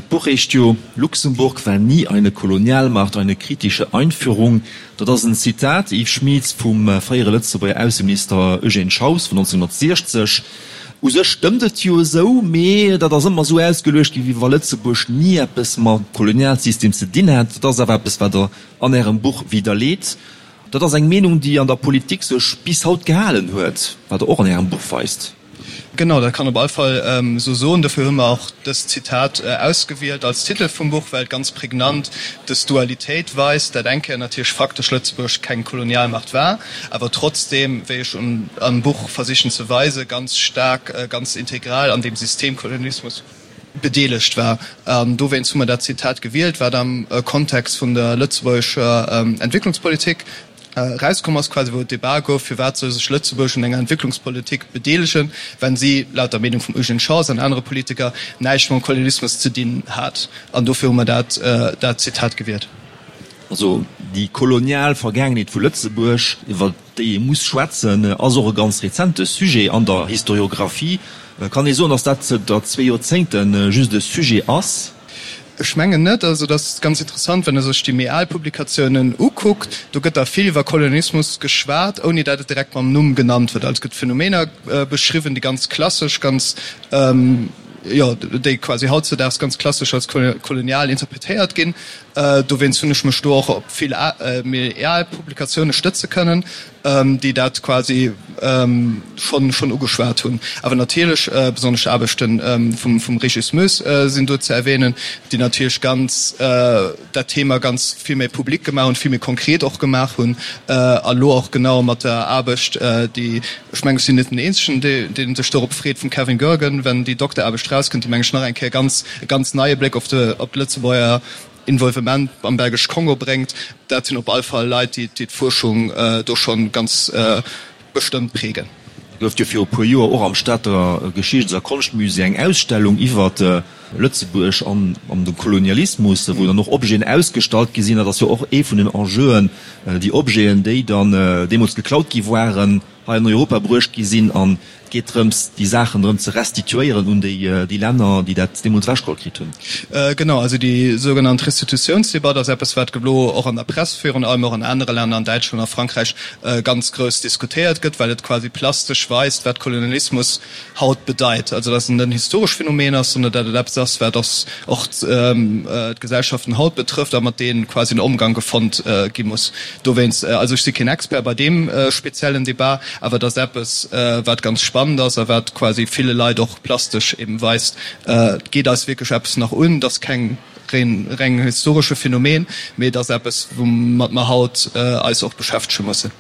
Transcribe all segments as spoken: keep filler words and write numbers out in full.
D'Buch heescht jo Luxemburg war nie eine Kolonialmacht, eine kritische Einführung. Dat ass en Zitat, Yves Schmieds, vum fréiere Lëtzebuerger Ausseminister Eugène Schaus vun nonzénhunnertsiechzeg. U sech stëmmt et jo esou, mee dat ass ëmmer esou ausgeluecht ginn, wéi wa Lëtzebuerg ni eppes mam Kolonialsystem ze dinn hätt. Dat ass awer eppes, wat Der an Ärem Buch widderleet. Dat ass eng Meenung, déi an der Politik sech bis haut gehalen huet, wat Der och an Ärem Buch weist. Genau, dat kann op all Fall esou soen. Dofir hu mer och dëst Zitat ausgewielt als Titel vum Buch, well et ganz prägnant dës Dualitéit weist, dat eng Kéier natierlech faktesch Lëtzebuerg keng Kolonialmacht war, awer trotzdeem, wéi ech am Buch versichen ze weisen, ganz staark, ganz integral an deem System Kolonialismus bedeelegt war. An dowéinst hu mer dat Zitat gewielt, wat am Kontext vun der lëtzebuergescher Entwécklungspolitik erauskomm ass, quasi wou et Debat gouf, firwat soll sech Lëtzebuerg un enger Entwécklungspolitik bedeelegen, wenn si, laut der Meenung vum Eugène Schaus an anere Politiker, näischt mam Kolonialismus ze dinn hat. An dofir hu mer dat dat Zitat gewielt. Also déi kolonial Vergaangenheet vu Lëtzebuerg, iwwer déi ee muss schwätzen, ass och e ganz rezente Sujet an der Historiographie. Kann ee soen, datt dat zënter zwee Joerzéngte just e Sujet ass? Ech mengen net. Also et ass ganz interessant, wann ee sech déi méi al Publikatiounen ukuckt, do gëtt da vill iwwer Kolonialismus geschwat, ouni dat et direkt mam Numm genannt huet. Also et gëtt Phänomener beschriwwen, déi ganz klassesch, ganz, jo, déi quasi hautzedaags ganz klassesch als kolonial interpretéiert ginn. Dowéinst hunn ech mech do och op vill méi al Publikatioune stëtze kënnen, déi dat quasi schonn schonn ugeschwat hunn. Awer natierlech, besonnesch d'Aarbechte vum vum Régis Moes sinn do ze erwähnen, déi natierlech ganz dat Thema ganz vill méi public gemaach hunn, vill méi konkret och gemaach hunn a lo och genau mat der Aarbecht, déi, ech mengen, ech sinn net den Eenzegen, dee sech dorop freet, vum Kevin Goergen, wenn déi Dokteraarbecht rauskënnt, déi, meng ech, nach eng Kéier ganz e ganz neie Bléck op de op d'Lëtzebuerger Involvement am Belgesch Kongo bréngt. Dat sinn op all Fall Leit, déi d'Fuerschung do schonn ganz bestëmmt prägen. Et gouf jo viru puer Joer och am Stater Geschichts a Konschtmusée eng Ausstellung iwwer Lëtzebuerg an de Kolonialismus, wou dann och Objeten ausgestallt gi sinn. Dat ass jo och ee vun den Enjeuen, déi Objeten, déi dann deemools geklaut gi waren, hei an Europa bruecht gi sinn an et geet drëms, déi Saachen erëm ze restituéieren un déi Länner, déi dat deemools ewechgeholl kritt hunn. Genau, also déi sougenannt Restitutiounsdebatt ass eppes, wat elo och an der Press, virun allem och an anere Länner, an Däitschland a Frankräich, ganz grouss diskutéiert gëtt, well et quasi plastesch weist, wat Kolonialismus haut bedeit. Also datt et net en historesch Phänomen ass, sondern datt et eppes ass, wat och d'Gesellschaften haut betrëfft a mat deem quasi en Omgang gefonnt gi muss. Dowéinst, also ech si keen Expert bei deem speziellen Debat, awer et ass eppes, wat ganz spannend ass a wat quasi ville Leit och plastesch eben weist, et geet eis wierklech eppes nach un. Et ass keng reng historesche Phänomen, mee et ass eppes, woumat mer haut eis och beschäftege mussen.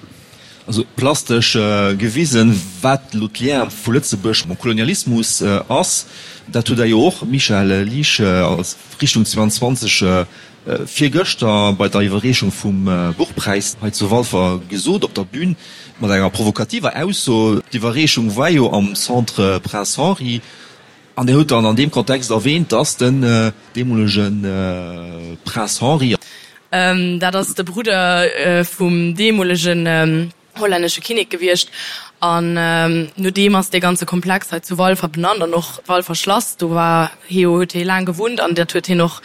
Also plastesch gewisen, wat elo d'Lien vu Lëtzebuerg mam Kolonialismus ass, dat hutt Der jo och, Michel Liesch, als Richtung zweiundzwanzeg virgëschter bei der Iwwerreechung vum Buchpräis hei zu Walfer gesot op der Bühn, mat enger provokativer Ausso. D'Iwwerreechung war jo am Centre Prince Henri an Dir hutt dann an deem Kontext erwähnt, dass den deemolege Prince Henri, Dat ass de Brudder vum deemolegen hollännesche Kinnek gewiescht an no deem ass dee ganze Komplex hei zu Walfer benannt an och d'Walfer Schlass. Do war hie jo, huet hie laang gewunnt an dat huet hien och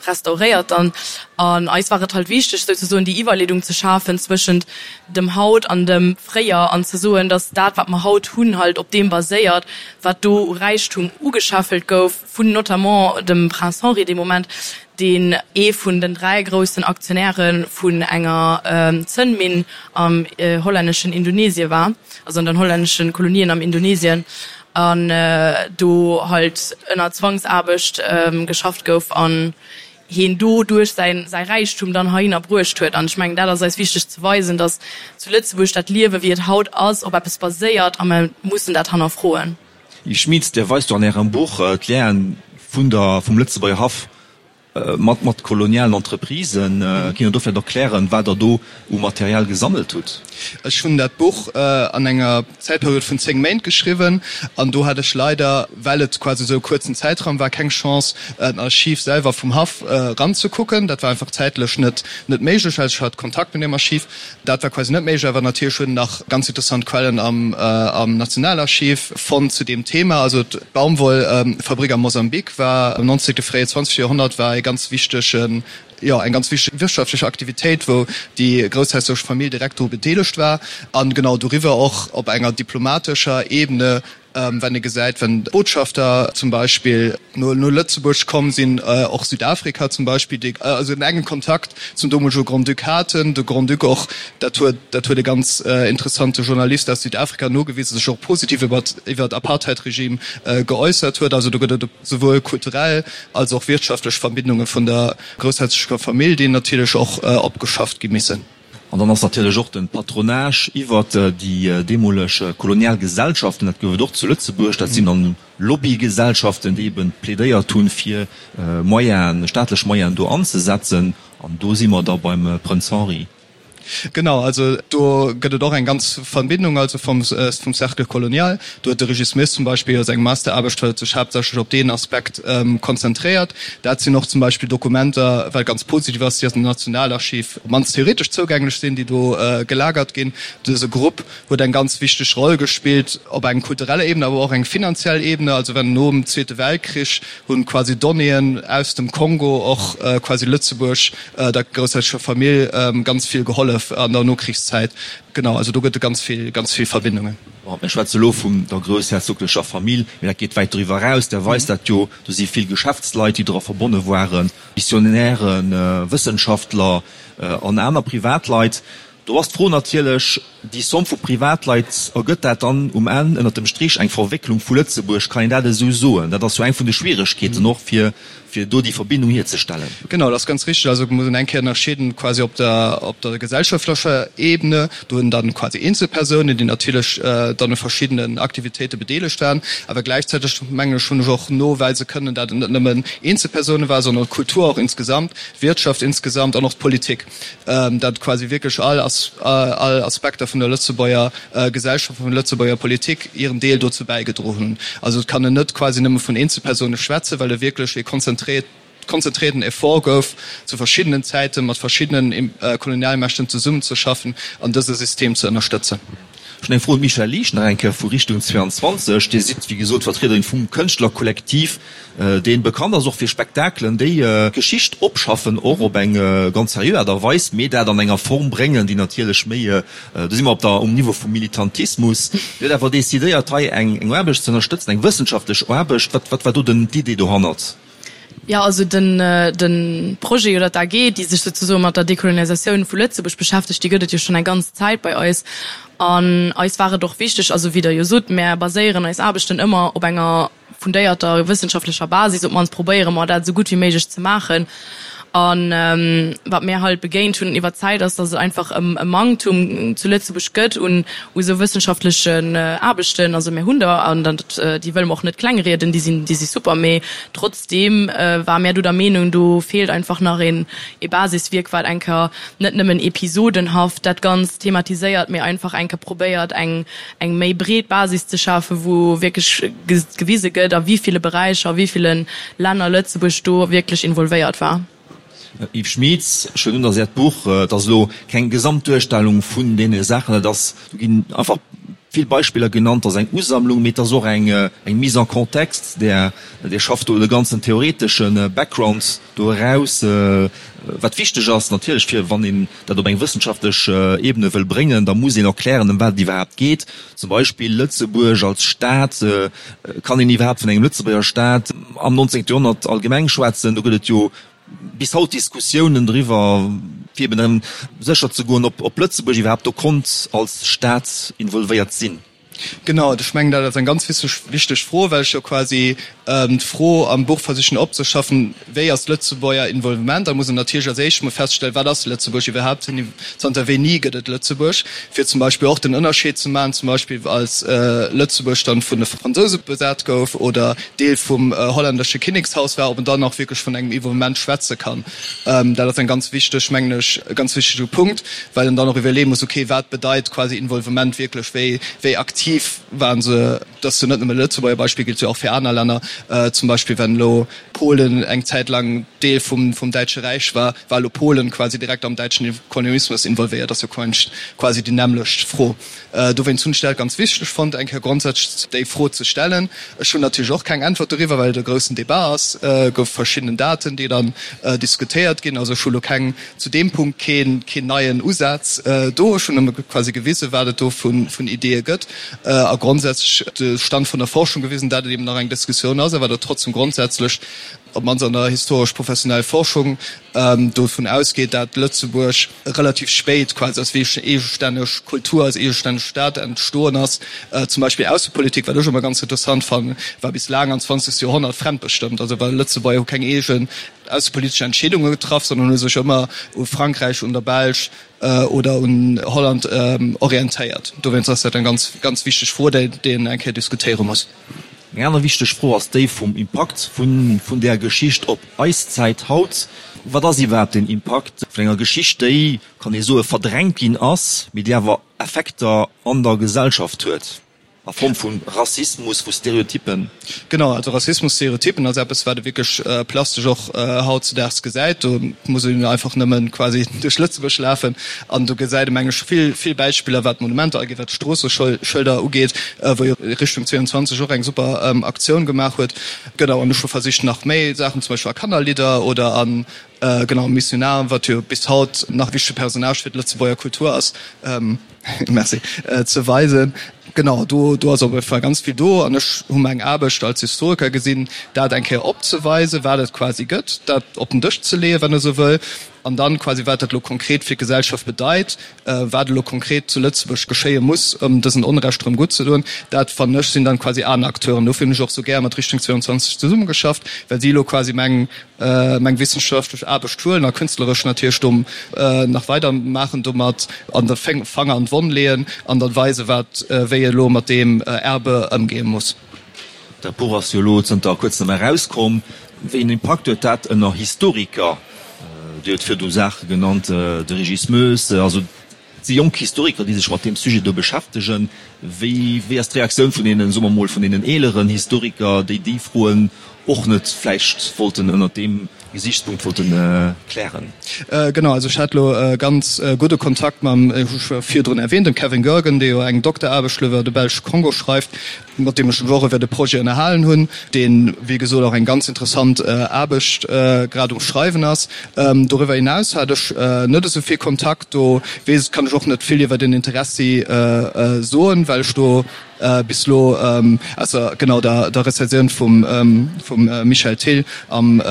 restauréiert dann. An eis war et halt wichteg souzesoen déi Iwwerleedung ze schafen zwëschent dem Haut an dem Fréier an ze soen, datt dat wat mer haut hunn halt op deem baséiert, wat do u Räichtum ugescheffelt gouf vun notamment dem Prince Henri dee Moment, deen ee vun den dräi groussen Aktionäre vun enger Zënnminn am hollänneschen Indonesie war, also an den hollännesche Kolonien am Indonesien, an do halt ënner Zwangsaarbecht geschafft gouf an hien do duerch säi säi Räichtum dann heihinner bruecht huet. An ech mengen, dat ass eis wichteg ze weisen, datt zu Lëtzebuerg dat Liewe wéi et haut ass op eppes baséiert a mer mussen dat hannerfroen. Yves Schmitz, Dir weist jo an Ärem Buch d'Lienen vun der vum Lëtzebuerger Haff mat mat kolonialen Entreprisen. Kinnt Der do vläicht erklären, wat Der do u Material gesammelt hutt? Ech hunn dat Buch an enger Zäitperiod vun zéng Méint geschriwwen an do hat ech leider, well et quasi esou e kuerzen Zäitraum war, keng Chance, den Archiv selwer vum Haff eranzekucken. Dat war einfach zäitlech net net méiglech, well ech hat Kontakt mat deem Archiv. Dat war quasi net méiglech. Awer natierlech hunn nach ganz interessant Quellen am am Nationalarchiv fonnt zu deem Thema. Also d'Baumwollfabrik am Mosambik war am neunzehnten, fréie zwanzegste Joerhonnert war e ganz wichtegen, jo, eng ganz wichteg wirtschaftlech Aktivitéit, wou déi groussherzoglech Famill direkt dru bedeelegt war. An genau doriwwer och op enger diplomatescher Ebene, wenn ee gesäit, wenn d'Botschafter zum Beispill no Lëtzebuerg komm sinn, och Südafrika zum Beispill, déi also en engen Kontakt zum domolege Grand-Duc haten, de Grand-Duc och, dat huet dat huet e ganz interessante Journalist aus Südafrika nogewisen, sech och positiv iwwer iwwer d'Apartheid-Regime geäussert huet. Also do gëtt et souwuel kulturell als och wirtschaftlech Verbindunge vun der groussherzogecher Famill, déi natierlech och opgeschafft gi missen. An dann ass natierlech och de Patronage iwwert déi deemoleg kolonial Gesellschaften, dat gouf et och zu Lëtzebuerg, dat sinn dann Lobbygesellschaften, déi eben plädéiert hunn, fir Moyenen, staatlech Moyenen do anzesetzen. An do si mer da beim Prënz Henri. Genau, also do gëtt et och eng ganz Verbindung, also vum vum Cercle colonial. Do huet de Régis Smith zum Beispill a sengem Masteraarbecht huet sech haaptsächlech op deen Aspekt konzentréiert. Dat sinn och zum Beispill Dokumenter, wat ganz positiv ass, déi aus dem Nationalarchiv op d'mannst theoretesch zougänglech sinn, déi do gelagert ginn. Dëse Grupp huet eng ganz wichteg Roll gespillt op eng kultureller Ebene, awer och eng finanziell Ebene. Also wenn nom Zweete Weltkrich hunn quasi Donnéeën aus dem Kongo och quasi Lëtzebuerg, der groussherzogecher Famill ganz vill gehollef an der Nokrichszäit. Genau, also do gëtt et ganz vill, ganz vill Verbindungen. Bon, mir schwätze elo vun der groussherzoglecher Famill, mee dat geet wäit doriwwer eraus. Der weist dat jo, do si vill Geschäftsleit, déi dra verbonne waren, Missionären, Wëssenschaftler an aner Privatleit. Do ass d'Fro natierlech, déi Somme vu Privatleit, ergëtt dat dann um Enn ënnert dem Strich eng Verwécklung vu Lëtzebuerg? Kann een dat esou soen? Dat ass jo eng vun de Schwieregkeeten och, fir fir do déi Verbindung hierzestellen. Genau, dat ass ganz richteg. Also et muss een eng Kéier ënnerscheeden quasi op der op der gesellschaftlecher Ebene, do hunn dann quasi Eenzelpersounen, déi natierlech dann u verschiddenen Aktivitéite bedeelegt waren, awer gläichzäiteg mengen ech hunn ech och noweise kënnen, dat et net nëmmen Eenzelpersoune waren, sondern d'Kultur och insgesamt, d'Wirtschaft insgesamt an och d'Politik. dat quasi wierklech all all Aspekter vun der Lëtzebuerger Gesellschaft, vun der Lëtzebuerger Politik hiren Deel dozou bäigedroen hunn. Also et kann en net quasi nëmme vun Eenzelpersoune schwätzen, well e wierklech e konzentréiert konzentrierten Effort gouf, zu verschiddenen Zäite mat verschiddenen Kolonialmächten zesummenzeschaffen an dëse System ze ënnerstëtzen. Ech hunn eng Fro un d'Michèle Liesch nach eng Kéier vu Richtung zweiundzwanzeg. Dir sidd, wéi gesot, Vertriederin vum Kënschtlerkollektiv, dee bekannt ass och fir Spektakelen, déi Geschicht opschaffen, och op eng ganz seriö Aart a Weis, mee dat an enger Form bréngen, déi natierlech méi, do si mer op der, um Niveau vum Militantismus. Dir hutt awer decidéiert, hei eng Aarbecht ze ënnerstëtzen, eng wëssenschaftlech Aarbecht. Wat, wat war do den, d'Idee dohannert? Jo, also den de Projet oder d'A G, déi sech souzesoe mat der Dekolonisatioun vu Lëtzebuerg beschäftegt, déi gëtt et jo schonn eng ganz Zäit bei eis. An eis war et och wichteg, also wéi Der jo sot, mär baséieren eis Aarbechten ëmmer op enger fundéierter wëssenschaftlecher Basis, op d'mannst probéiere mer dat esou gutt wéi méiglech ze maachen. A wat mär halt begéint hunn iwwer d'Zäit ass, datt et einfach e Manktum zu Lëtzebuerg gëtt un u sou wëssenschaftlechen Aarbechten. Also mär hunn der, an dat, déi wëlle mer och net klengrieden, déi sinn, déi si super, mee trotzdeem ware mär do der Meenung, do feelt einfach nach een ee Basiswierk, wat eng Kéier net nëmmen episodenhaft dat Ganzt thematiséiert, mee einfach eng Kéier probéiert eng eng méi breet Basis ze schafen, wou wierklech gewise gëtt, a wéi ville Beräicher, a wéi ville Länner Lëtzebuerg do wierklech involvéiert war. Yves Schmitz, Ech huelen un, datt Äert Buch, et ass elo keng Gesamtduerstellung vun deene Saachen, et ass, do ginn einfach vill Beispiller genannt, et ass eng Usammlung, mee et ass och eng eng Mise en contexte, där Dir schafft do de ganzen theoretesche Background do eraus, wat wichteg ass natierlech fir wann een dat op eng wëssenschaftlech Ebene wëll bréngen, da muss een erklären, ëm wat et iwwerhaapt geet. Zum Beispill Lëtzebuerg als Staat, kann een iwwerhaapt vun engem Lëtzebuerger Staat am neunzehnten Joerhonnert allgemeng schwätzen? Do gëtt et jo bis haut Diskussiounen driwwer, fir eben erëm sécher ze goen, ob Lëtzebuerg iwwerhaapt do konnt als Staat involvéiert sinn. Genau, ech mengen, dat ass eng ganz wichteg Fro, well ech jo quasi d'Fro am Buch versichen opzeschaffen, Wéi ass d'Lëtzebuerger Involvement? Da muss een natierlech als éischt emol feststellen, Wat ass Lëtzebuerg iwwerhaapt? Zanter wéini gëtt et Lëtzebuerg? Fir zum Beispill och den Ënnerscheed ze maachen, zum Beispill als Lëtzebuerg dann vun de Fransouse besat gouf oder Deel vum hollännesche Kinnekshaus war, ob en dann och wierklech vun engem Involvement schwätze kann. Dat ass eng ganz wichteg, mengen ech, e ganz wichtege Punkt, well en dann och iwwerleeë muss, okay, wat bedeit quasi Involvement wierklech, wéi, wéi aktiv waren se? Dat ass jo net nëmme e Lëtzebuerger Beispill, gillt jo och fir aner Länner. Zum Beispill wenn elo Polen eng Zäit lang Deel vum, vum Däitsche Räich war, war elo Polen quasi direkt am däitschen Kolonialismus involvéiert? Ass jo quasi déi nämmlecht Fro. Dowéinst hunn ech dat ganz wichteg fonnt, eng Kéier grondsätzlech déi Fro ze stellen. Ech hunn natierlech och keng Äntwert doriwwer, well et e groussen Debat ass. Et gouf verschiddenen Daten, déi dann diskutéiert ginn. Also ech hu lo keng, zu deem Punkt keen, keen neien Usaz do. Ech hunn nëmme quasi gewisen, wat et do vun, vun Ideeë gëtt a grondsätzlech de Stand vun der Forschung gewisen, dat et eben nach eng Diskussioun ass, awer datt trotzdem grondsätzlech, op d'mannst an der historesch-professionell Forschung, dovun ausgeet, dat Lëtzebuerg relativ spéit quasi als wierklech eegestänneg Kultur, als eegestänneg Staat entstoen ass. Zum Beispill Aussepolitik, wat ech ëmmer ganz interessant fannen, war bis laang an zwanzegst Joerhonnert fremdbestëmmt. Also well Lëtzebuerger hu keng eegen aussepolitesch Entscheedunge getraff, sondern hu sech ëmmer u Frankräich, un der Belsch oder un Holland orientéiert. Dowéinst ass dat eng ganz, ganz wichteg Fro, déi een eng Kéier diskutéiere muss. Eng aner wichteg Fro ass déi vum Impakt vun där Geschicht op eis Zäit haut. Wat ass iwwerhaapt den Impakt vun enger Geschicht, déi, kann ee soen, verdrängt ginn ass, mee déi awer Effekter an der Gesellschaft huet, a Form vu Rassismus, vu Stereotyppen? Genau, also Rassismus, Stereotyppen ass eppes, wat ee wierklech plastesch och hautzedaags gesäit. Do muss een einfach nëmme quasi duerch Lëtzebuerg lafen an do gesäit ee, meng ech, vill, vill Beispiller, wat d'Monumenter ugeet, wat d'Stroosseschëlder ugeet, wou jo Richtung zwéianzwanzeg och eng super Aktioun gemaach huet. Genau, an ech hu versicht nach méi Saachen, zum Beispill a Kannerlidder oder an, genau, Missionar, wat jo bis haut nach e wichtege Personnage fir d'Lëtzebuerger Kultur ass, merci, ze weisen. Genau, do, do ass op alle Fall ganz vill do. An ech hu meng Aarbecht als Historiker gesinn, dat eng Kéier opzeweisen, wat et quasi gëtt, dat op den Dësch ze leeën, wann e sou wëll, an dann quasi wat dat elo konkret fir d'Gesellschaft bedeit, wat elo konkret zu Lëtzebuerg geschéie muss, ëm dësen Onrecht erëm gutt ze doen, dat fannen ech sinn dann quasi aner Acteuren. Dofir hunn ech och sou gär mat Richtung zwéianzwanzeg zesummegeschafft, well si elo quasi meng meng wissenschaftlech Aarbecht huelen a künstleresch natierlech do nach weider maachen domat an de Fanger an d'Wonn leeën an dann weisen, wat wéi ee elo mat deem Erbe ëmgehe muss. Dat Buch ass jo elo zënter kuerzem erauskomm. Wéi een Impakt huet dat ënner Historiker? Dir hutt virdu Saache genannt, de Régis Moes, also et si jonk Historiker, déi sech mat deem Sujet do beschäftegen. Wéi, wéi ass d'Reaktioun vun deenen, soe mer mol, vun deenen eeleren Historiker, déi déi Froen och net vläicht wollten ënnert deem Gesiichtspunkt wollten klären? Genau, also ech hat elo ganz gudde Kontakt mam, hu ech virdrun erwähnt, dem Kevin Goergen, dee jo eng Dokteraarbecht elo iwwer de belsche Kongo schreift, mat deem ech mech och iwwer de Projet ënnerhalen hunn, deen, wéi gesot, och eng ganz interessant Aarbecht grad um Schreiwen ass. Doriwwer hinaus hat ech net esou vill Kontakt, do weess, kann ech och net vill iwwer den Interessi soen, well ech do bis elo, ausser genau der Rezensioun vum Michel Thill am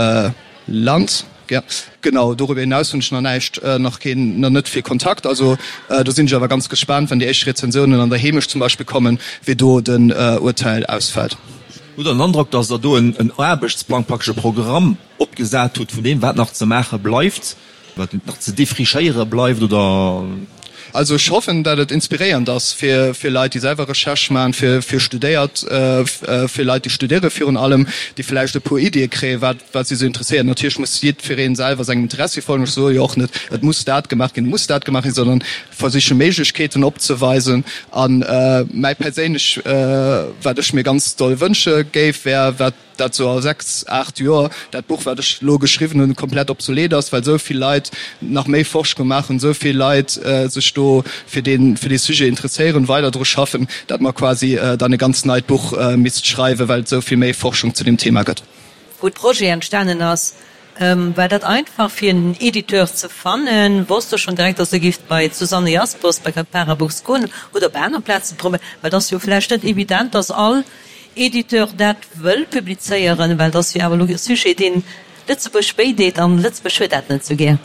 Land, jo, genau, doriwwer hinaus hunn ech nach näischt, nach keen, nach net vill Kontakt. Also do sinn ech awer ganz gespaant, wann déi éischt Rezensiounen an der Heemecht zum Beispill kommen, wéi do den Urteil ausfält. Hutt Der den Androck, datt Der do en Aarbechtsplang, praktesch e Programm opgesat hutt vun deem, wat nach ze maache bleift, wat nach ze défrichéiere bleift, oder? Also ech hoffen, dat et inspiréiernd ass fir fir Leit, déi selwer Recherche maachen, fir fir Studéiert, fir Leit, déi studéiere virun allem, déi vläicht e puer Iddie kréien, wat wat si sou interesséiert. Natierlech muss jiddweree selwer sengem Interessi folgen. Ech soe jo och net, et muss dat gemaach ginn, et muss dat gemaach ginn, sondern versiche Méiglechkeeten opzeweisen. A mäi perséinlech, wat ech mir ganz doll wënsche géif, wär, wat, dat sou a sechs, aacht Joer dat Buch, wat ech elo geschriwwen hunn, komplett obsolet ass, well esou vill Leit nach méi Forschung maachen, esou vill Leit sech do fir dee fir dee Sujet interesséieren, weider dru schaffen, dat mer quasi dann e ganz neit Buch misst schreiwen, well et esou vill méi Forschung zu deem Thema gëtt. Wou de Projet entstanen ass, war dat einfach fir en Editeur ze fannen? Wosst Der schonn direkt, dass Der géift bei d'Susanne Jaspers bei Campara Books goen oder op aner Plazen probéieren? Well et ass jo vläicht net evident, dass all Editeur dat wëll publizéieren, well et ass jo awer elo e Sujet, deen Lëtzebuerg wéi deet, an Lëtzebuerg huet dat net esou gär.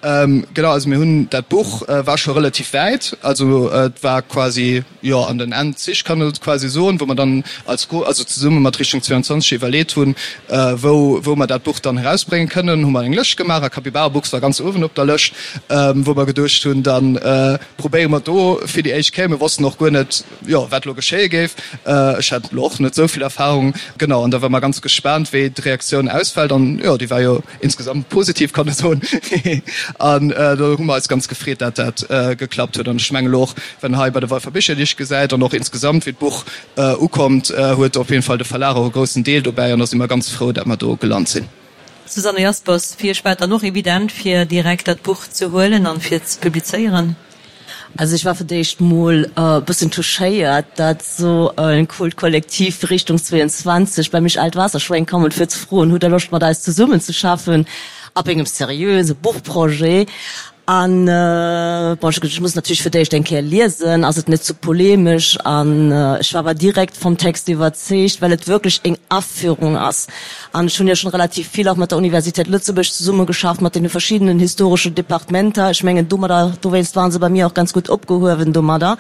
Ähm, genau, also mir hunn dat Buch äh, war scho relativ wäit, also äh, et war quasi jo an den Endzich kann et quasi soen, wou mer dann als Gru also zesumme mat Richtung zweiundzwanzeg iwwerleet hunn, äh, wou wou mer dat Buch dann erausbréngen kënnen, hu mer eng Lëscht gemaach a Capybara Books war ganz uewen op der Lëscht, ähm, wou mer geduecht hunn, dann äh, probéiere mer do fir déi éischt Kéier. Mir wossten och guer net, jo, wat elo geschéie géif. Äh, ech hat elo och net esou vill Erfahrung, genau, an da war mer ganz gespaant, wéi d'Reaktioun ausfält an jo, déi war jo insgesamt positiv, kann e soen. An do hu mer eis ganz gefreet, dat dat geklappt huet. An ech mengen elo och, wann hei bei de Walfer Bicherdeeg gesäit an och insgesamt wéi d'Buch ukommt, huet op jeden Fall de Verlag och e groussen Deel dobäi an da si mer ganz frou, dat mer do gelant sinn. Susanne Jaspers, Fir Iech war et dann och evident, fir direkt dat Buch ze huelen an fir ze publizéieren? Also ech war fir d'éischt mol e bëssen touchéiert, dat sou en coolt Kollektiv wéi Richtung zweiundzwanzeg bei mech Aalt Waasserschwéng kommen fir ze froen, hutt der Loscht mat eis zesummen ze schaffen ab engem seriöse Buchprojet? An bon, ech hu gesot, ech muss natierlech fir d'éischt eng Kéier liesen, ass et net ze polemesch? An ech war awer direkt vum Text iwwerzeegt, well et wierklech eng Aführung ass. An ech hunn jo schonn relativ vill och mat der Universität Lëtzebuerg zesummegeschafft, mat deene verschiddenen historesche Departementer. Ech mengen, domadder, dowéinst ware se bei mir och ganz gutt opgehuewen domadder.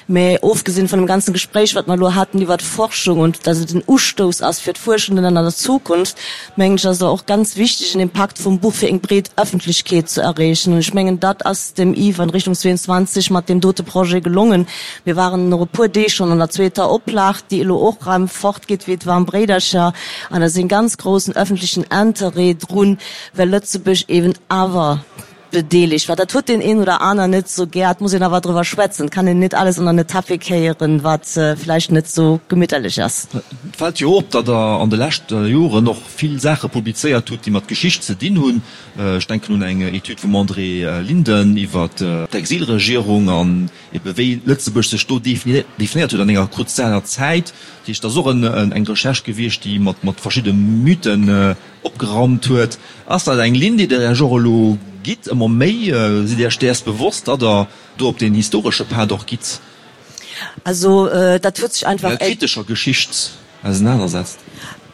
Mä ofgesinn vun dem ganzen Gespréich, wat mer elo haten iwwert d'Forschung und dass et en Ustouss ass fir d'Fuerschenden an der Zukunft, mengen ech, ass et och ganz wichteg, en Impakt vum Buch fir eng breet Öffentlechkeet ze erreechen. An ech mengen, dat ass dem Yves an Richtung zweiundzwanzeg mat deem dote Projet gelongen. Mir waren no e puer Deeg schonn an der zweeter Oplag, déi elo och erëm fortgeet wéi d'waarm Bréidercher. An da ass en ganz groussen öffentlechen Interêt drun, well Lëtzebuerg eben awer bedeelegt war. Dat huet deen een oder aner net sou gär, et muss een awer driwwer schwätzen, et kann een net alles ënner den Tapis kéieren, wat vläicht net sou gemitterlech ass. Et fält jo op, datt Der an de leschte Joren och vill Saache publizéiert hutt, déi mat Geschicht ze dinn hunn. Ech denken un eng Etüd vum André Linden iwwer d'Exilregierung an ebe wéi Lëtzebuerg sech do definéiert huet an enger kruzialer Zäit. Dat heescht, dat ass och eng Recherche gewiescht, déi mat verschidde Mythen opgeraumt huet. Ass dat eng Linn, déi Der Iech och elo gitt, ëmmer méi? Sidd Dir Iech däers bewosst, datt Der do op deen historesche Pad och gitt? Also dat huet sech einfach. Enger kritescher Geschicht ausenanersetzt?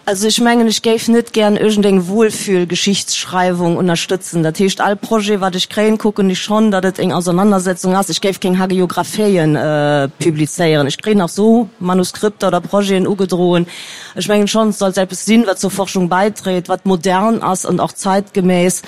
Also ech mengen, ech géif net gären iergendeng Wohlfühl-Geschichtsschreiwung ënnerstëtzen. Dat heescht, all Projet, wat ech kréien, kucken ech schonn, datt et eng Auseinandersetzung ass. Ech géif keng Hagiographien publizéieren. Ech kréien nach sou Manuskripter oder Projeten ugedroen. Ech mengen schonn, et sollt eppes sinn, wat zur Forschung bäidréit, wat modern ass an och zeitgemäss.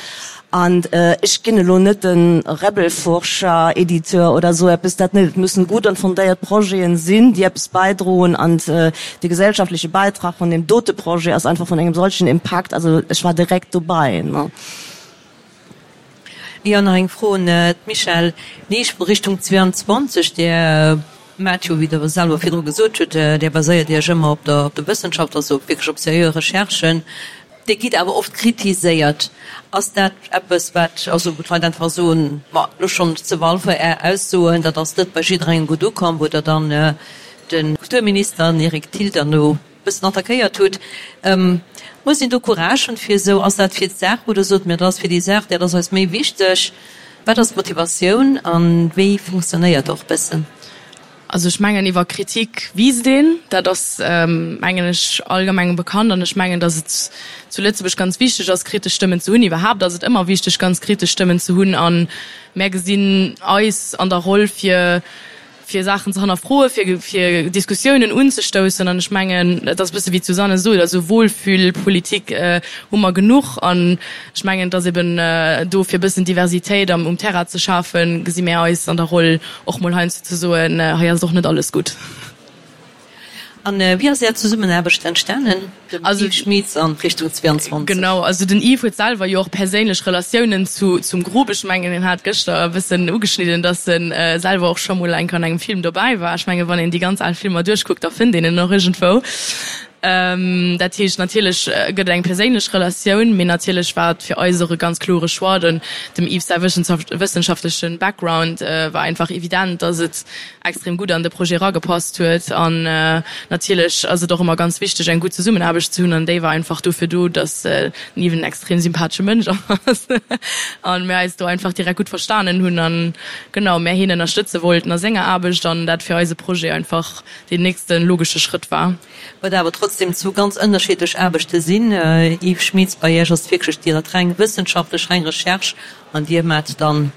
An ech ginn elo net de Rebelforscher, Editeur oder esou eppes, dat net. Et müssen gutt an fondéiert Projeten sinn, déi eppes bäidroen. An de gesellschaftleche Bäitrag vun deem dote Projet ass einfach vun engem solchen Impakt, also ech war direkt dobäi. Jo, nach eng Fro un d'Michèle Neisch vu Richtung zweiundzwanzeg. Dir maacht jo, wéi Der selwer virdru gesot hutt, Dir baséiert Iech ëmmer op der Wëssenschaft, also wierklech op seriö Recherchen. Dir gitt awer oft kritiséiert. Ass dat eppes, wat, also wou d'Leit einfach soen, ma elo schonn zu Walfer Är Aussoen, dat ass net bei jidderengem gutt ukomm, wou Der dann de Kulturminister, den Eric Thill, dann elo e bëssen attackéiert hutt. Muss een do Courage hunn fir esou, ass dat fir d'Saach, wou Der sot, mir dat ass fir déi Saach, dat ass eis méi wichteg? Wat ass d'Motivatioun a wéi funktionéiert och bëssen? Also ech mengen, iwwer Kritik wiisst een, dat ass mengen ech allgemeng bekannt an ech mengen, datt et zu Lëtzebuerg ganz wichteg ass, kritesch Stëmmen ze hunn. Iwwerhaapt ass et ëmmer wichteg, ganz kritesch Stëmmen ze hunn a mär gesinn eis an der Roll fir fir Saachen ze hannerfroen, fir fir Diskussiounen unzestoussen an ech mengen, et ass e bësse wéi d'Susanne sot, also Wohlfühlpolitik hu mer genuch an ech mengen, et ass eben do fir e bëssen Diversitéit am um Terrain ze schafen, gesi mär eis an der Roll och mol heiansdo ze soen, hei ass et och net alles gutt. An wéi ass Är Zesummenaarbecht entstanen, dem Yves Schmitz an Richtung zweiundzwanzeg? Genau, also den Yves huet selwer jo och perséinlech Relatiounen zu zum Grupp. Ech mengen, en hat gëschter e bëssen ugeschnidden, datt e selwer och scho mol eng Kéier an engem Film dobäi war. Ech menge wann een déi ganz al Filmer duerchkuckt, da fënnt een en och iergendwou. Dat heescht, natierlech gëtt et eng perséinlech Relatioun, mee natierlech war et fir eis och e ganz klore Choix. Den dem Yves säi wëssenschaftleche Background war einfach evident, datt et extrem gutt an de Projet eragepasst huet. An natierlech ass et och ëmmer ganz wichteg, eng gutt Zesummenaarbecht ze hunn. An déi war einfach dofir do, datt den Yves en extrem sympathesche Mënsch ass an mir eis do einfach direkt gutt verstanen hunn an genau mär hien ënnerstëtze wollten a senger Aarbecht an dat fir eise Projet einfach deen nächste logesche Schrëtt war. Wat awer trotzdem zwou ganz ënnerschiddlech Aarbechte sinn. Yves Schmitz, bei Iech ass et wierklech déi dat reng wëssenschaftlech, reng Recherche an Dir maacht dann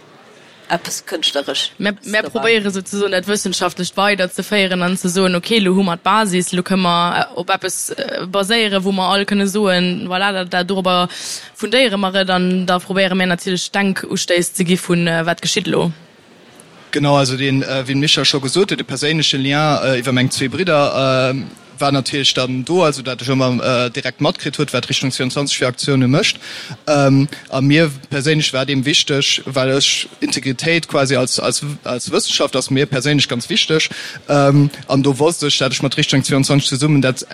eppes Kënschtleresch Mär, mär probéiere souzesoen dat Wëssenschaftlecht weiderzeféieren an ze soen, okay, elo hu mer d'Basis, elo kënne mer op eppes baséieren, wou mer all kënne soen, voilà, dat, dat, dorobber fundéiere mer et an da probéiere mär natierlech Denkustéiss ze gi vun, wat geschitt elo. Genau, also deen, wéi de Michel scho gesot huet, de perséinleche Lien iwwer meng zwee Bridder war natierlech dann do, also dat ech ëmmer direkt matkritt huet, wat Richtung zweiundzwanzeg fir Aktioune mécht. A mir perséinlech war et eben wichteg, well ech Integritéit quasi als, als, als Wëssenschaft ass mir perséinlech ganz wichteg. An do wosst ech, dat ech mat Richtung zweiundzwanzeg zesummen dat,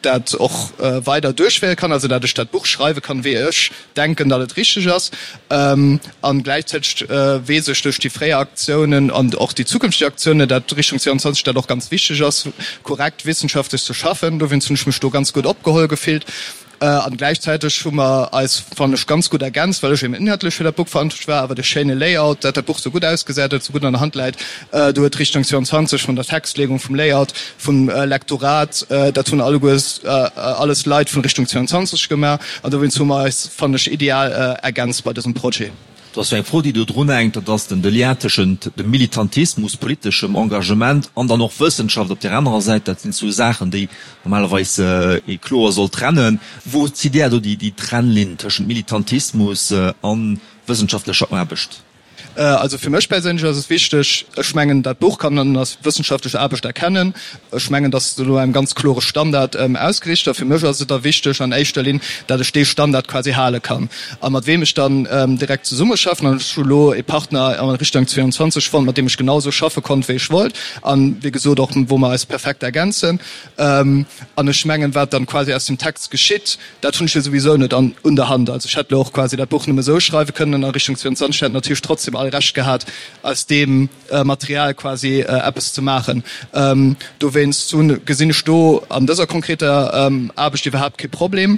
dat och weider duerchféiere kann, also dat ech dat Buch schreiwe kann, wéi ech denken, datt et richteg ass. An gläichzäiteg weess ech duerch déi fréier Aktiounen an och déi zukünfteg Aktiounen, dat Richtung zweiundzwanzeg dat och ganz wichteg ass, korrekt wissenschaftlech ze schaffen. Dowéinst hunn ech mech do ganz gutt opgeholl gefillt. An gläichzäiteg hu mer eis, fannen ech, ganz gutt ergänzt, well ech eben inhaltlech fir dat Buch verantwortlech war, awer de schéine Layout, dat dat Buch sou gutt ausgesäit, dat et sou gutt an der Hand läit, do huet Richtung zweiundzwanzeg vun der Textlegung, vum Layout, vum Lektorat, dat hunn alleguer alles Leit vun Richtung zweiundzwanzeg gemaach. An dowéinst hu mer eis, fannen ech, ideal ergänzt bei dësem Projet. Do ass jo eng Fro, déi do drunhänkt, dat ass den de Lien tëschent dem Militantismus, politeschem Engagement an dann och Wëssenschaft op där anerer Säit. Dat sinn zwou Saachen, déi normalerweis ee kloer soll trennen. Wou zitt Där do déi Trennlinn tëschent Militantismus a wëssenschaftlecher Aarbecht? Also fir mech perséinlech ass et wichteg, ech mengen dat Buch kann een als wëssenschaftlech Aarbecht erkennen. Ech mengen, datt se no engem ganz klore Standard ausgeriicht ass. Fir mech ass et da wichteg an éischter Linn, dat ech dee Standard quasi hale kann. A mat weem ech dann direkt zesummeschaffen, an ech hu lo ee Partner an Richtung zweiundzwanzeg fonnt, mat deem ech genau esou schaffe konnt, wéi ech wollt, an wéi gesot och wou mer eis perfekt ergänzen. An ech mengen, wat dann quasi aus dem Text geschitt, dat hunn ech jo souwisou net an un der Hand. Also ech hätt lo och quasi dat Buch nëmme esou schreiwe kënnen an a Richtung zweiundzwanzeg hätt natierlech trotzdem all Recht gehat, aus deem Material quasi eppes ze maachen. Dowéinst hunn, gesinn ech do an dëser konkreter Aarbecht iwwerhaapt kee Problem.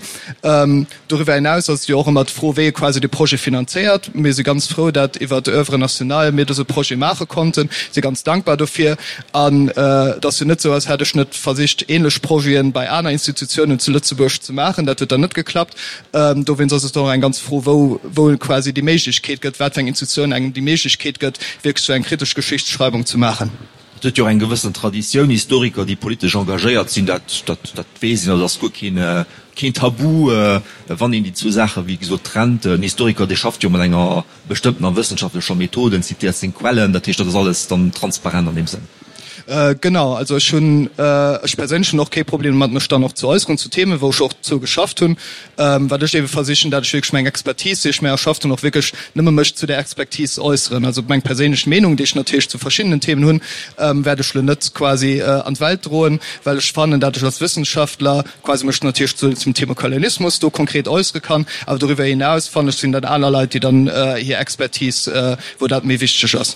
Doriwwer hinaus ass et jo och ëmmer d'Fro, wéi ee quasi de Projet finanzéiert. Mir si ganz frou, dat iwwer d'Oeuvre nationale mir dëse Projet maache konnten, si ganz dankbar dofir. An et ass jo net esou, als hätt ech net versicht, ähnlech Projete bei aner Institutiounen zu Lëtzebuerg ze maachen. Dat huet dann net geklappt. Dowéinst ass et och eng ganz Fro, wou wou et quasi déi Méiglechkeet gëtt, wat fir eng Institutioun engem déi Méiglechkeet gëtt, wierklech esou eng kritesch Geschichtsschreibung ze maachen. Et huet jo och eng gewëssen Traditioun, Historiker, déi politesch engagéiert sinn, dat dat dat weess een, dat ass guer keen keen Tabu, wann een déi zwou Saache wéi gesot trennt. En Historiker, dee schafft jo mat enger bestëmmtener wëssenschaftlecher Method, en zitéiert seng Quellen, dat heescht, dat ass alles dann transparent an deem Sënn. Genau, also ech hunn, ech perséinlech hunn och kee Problem domat, mech dann och ze äusseren zu Themen, wou ech och zou geschafft hunn. Wat ech ebe versichen, dat ech wierklech meng Expertise, déi ech mir erschafft hunn, och wierklech nëmme mech zu där Expertise äusseren. Also meng perséinlech Meenung, déi ech natierlech zu verschiddenen Themen hunn, wäert ech elo net quasi an d'Welt droen, well ech fannen, dat ech als Wëssenschaftler quasi mech natierlech zu zum Thema Kolonialismus do konkret äussere kann. Awer doriwwer hinaus fannen ech, sinn dat aner Leit, déi dann hir Expertise, wou dat méi wichteg ass.